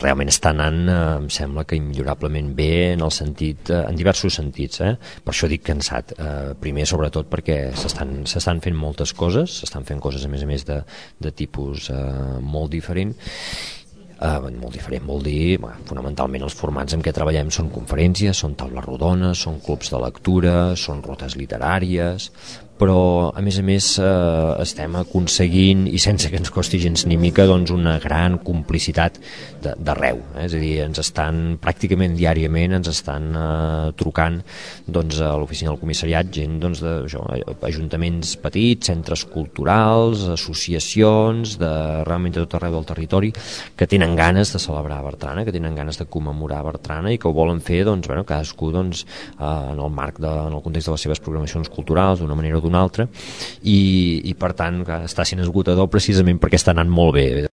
realment està anant, em sembla que immillorablement bé en el sentit, en diversos sentits, per això dic cansat. Primer, sobretot, perquè s'estan fent moltes coses, s'estan fent coses a més de tipus molt diferent. Molt diferent vol dir, fonamentalment els formats en què treballem són conferències, són taules rodones, són clubs de lectura, són rutes literàries, però a més estem aconseguint, i sense que ens costi gens ni mica, doncs una gran complicitat d'arreu, és a dir, ens estan pràcticament diàriament trucant doncs, a l'oficina del comissariat gent ajuntaments petits, centres culturals, associacions realment de tot arreu del territori que tenen ganes de celebrar Bertrana, que tenen ganes de commemorar Bertrana i que ho volen fer cadascú en el marc en el context de les seves programacions culturals d'una manera o d'una altra, i per tant està sent esgotador precisament perquè està anant molt bé.